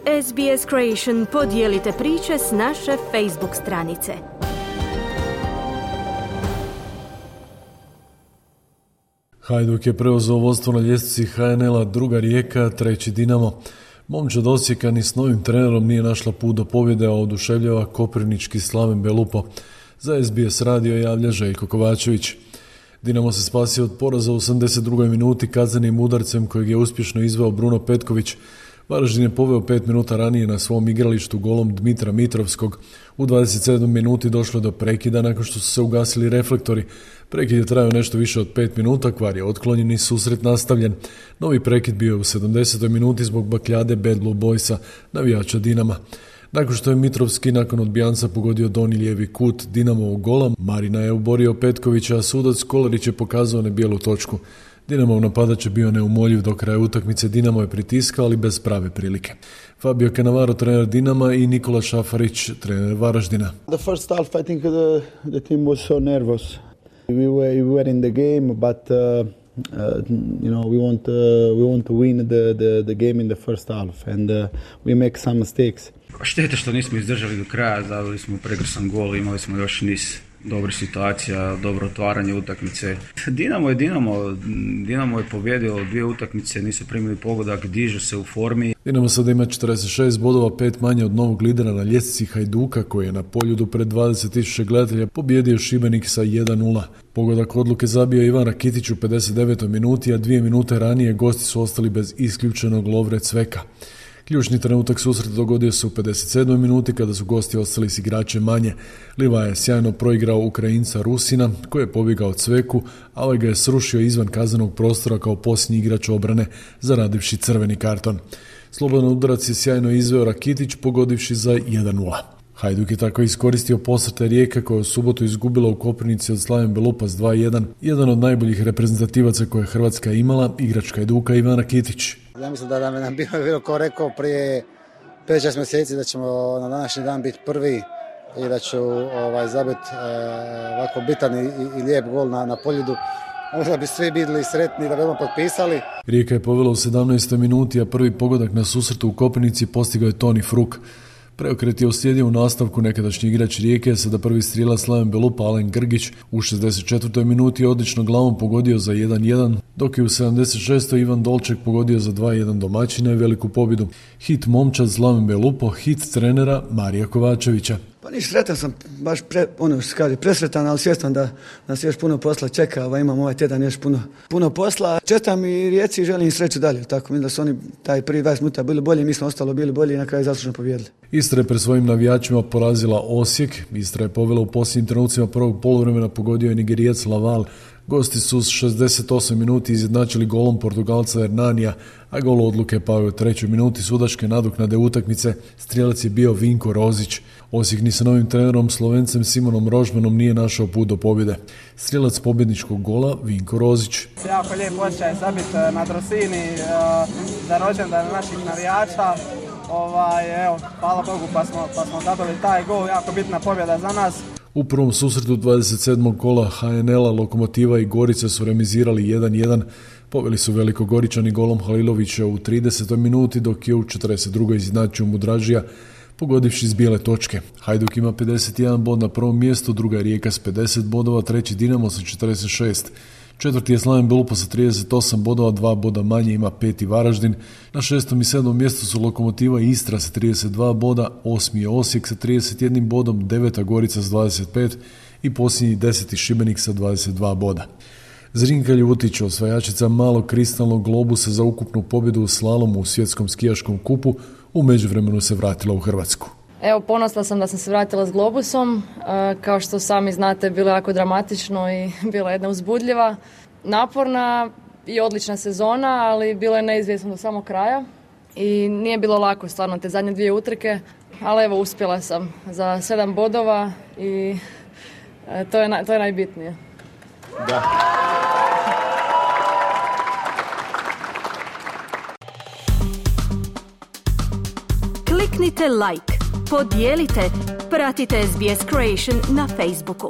SBS Creation, podijelite priče s naše Facebook stranice. Hajduk je preuzeo vodstvo na ljestvici HNL-a, druga Rijeka, treći Dinamo. Momčad Osijeka ni s novim trenerom nije našla put do pobjede, a oduševljava koprivnički Slaven Belupo. Za SBS radio javlja Željko Kovačević. Dinamo se spasio od poraza u 82. minuti kaznenim udarcem kojeg je uspješno izveo Bruno Petković. Varaždin je poveo 5 minuta ranije na svom igralištu golom Dmitra Mitrovskog. U 27. minuti došlo je do prekida nakon što su se ugasili reflektori. Prekid je trajao nešto više od 5 minuta, kvar je otklonjen i susret nastavljen. Novi prekid bio je u 70. minuti zbog bakljade Bad Blue Boysa, navijača Dinama. Nakon što je Mitrovski nakon odbijanca pogodio donji lijevi kut Dinamovog gola, Marina je oborio Petkovića, a sudac Kolarić je pokazao na bijelu točku. Dinamov napadač je bio neumoljiv do kraja utakmice, Dinamo je pritiskao, ali bez prave prilike. Fabio Cannavaro, trener Dinama, i Nikola Šafarić, trener Varaždina. The first half, I think the team was so nervous. We were in the game, but we want to win the game in the first half, and we make some mistakes. Šteta što nismo izdržali do kraja, zavili smo prekrasan gol, imali smo još niz dobrih situacija, dobro otvaranje utakmice. Dinamo je pobjedio 2 utakmice, nisu primili pogodak, dižu se u formi. Dinamo sada ima 46 bodova, 5 manje od novog lidera na ljestvici Hajduka, koji je na Poljudu pred 20.000 gledatelja pobjedio Šibenik sa 1-0. Pogodak odluke zabio Ivan Rakitić u 59. minuti, a 2 minute ranije gosti su ostali bez isključenog Lovre Cveka. Ključni trenutak susreta dogodio se u 57. minuti kada su gosti ostali s igračem manje. Livaja je sjajno proigrao Ukrajinca Rusina koji je pobjegao Cveku, a ovaj ga je srušio izvan kaznenog prostora kao posljednji igrač obrane zaradivši crveni karton. Slobodan udarac je sjajno izveo Rakitić pogodivši za 1-0. Hajduk je tako iskoristio posrte Rijeke koja je u subotu izgubila u Koprivnici od Slaven Belupa s 2-1. Jedan od najboljih reprezentativaca koje je Hrvatska imala, igrač Hajduka Ivan Rakitić. Ja mislim da nam bilo ko rekao prije 5-6 mjeseci da ćemo na današnji dan biti prvi i da ću zabiti ovako bitan i lijep gol na Poljudu. Možda bi svi bili sretni da bi ono potpisali. Rijeka je povela u 17. minuti, a prvi pogodak na susretu u Koprivnici postigao je Toni Fruk. Preokret je uslijedio u nastavku nekadašnji igrač Rijeke, sada prvi strijelac Slaven Belupa Alen Grgić u 64. minuti odlično glavom pogodio za 1-1, dok je u 76. Ivan Dolček pogodio za 2-1 domaćina i veliku pobjedu. Hit momčad Slaven Belupo, hit trenera Marija Kovačevića. Pa niš, sretan sam, baš presretan, ali svjestan da nas još puno posla čeka, imam ovaj tjedan još puno posla. Čestam i Rijeci i želim sreću dalje, tako mislim da su oni taj prvi 20 minuta bili bolji, mi smo ostalo bili bolji i na kraju zaslužno pobijedili. Istra je pred svojim navijačima porazila Osijek, Istra je povela u posljednjim trenucima prvog poluvremena, pogodio je Nigerijac Laval. Gosti su s 68 minuti izjednačili golom Portugalca Hernanija, a gol odluke pao je u 3. minuti sudačke nadoknade utakmice. Strijelac je bio Vinko Rozić. Osijek ni sa novim trenerom Slovencem Simonom Rožmanom nije našao put do pobjede. Strijelac pobjedničkog gola Vinko Rozić. Jako lijep osjećaj zabiti na Drosini za rođendan naših navijača. Hvala Bogu pa smo dobili taj gol, jako bitna pobjeda za nas. U prvom susretu 27. kola HNL-a Lokomotiva i Gorica su remizirali 1-1. Poveli su Velikogoričani golom Halilovića u 30. minuti, dok je u 42. izjednačio Mudražija pogodivši s bijele točke. Hajduk ima 51 bod na prvom mjestu, druga je Rijeka s 50 bodova, treći Dinamo sa 46. Četvrti je Slaven Belupo sa 38 bodova, 2 boda manje ima 5. Varaždin. Na 6. i 7. mjestu su Lokomotiva i Istra sa 32 boda, 8. je Osijek sa 31 bodom, 9. Gorica s 25 i posljednji 10. Šibenik sa 22 boda. Zrinka Ljutić, osvajačica malog kristalnog globusa za ukupnu pobjedu u slalomu u svjetskom skijaškom kupu, u međuvremenu se vratila u Hrvatsku. Evo, ponosna sam da sam se vratila s globusom. Kao što sami znate, bilo je jako dramatično i bila jedna uzbudljiva, naporna i odlična sezona, ali bilo je neizvjesno do samog kraja i nije bilo lako stvarno te zadnje 2 utrke, ali evo, uspjela sam za 7 bodova i to je najbitnije. Da. Kliknite like, podijelite, pratite SBS Creation na Facebooku.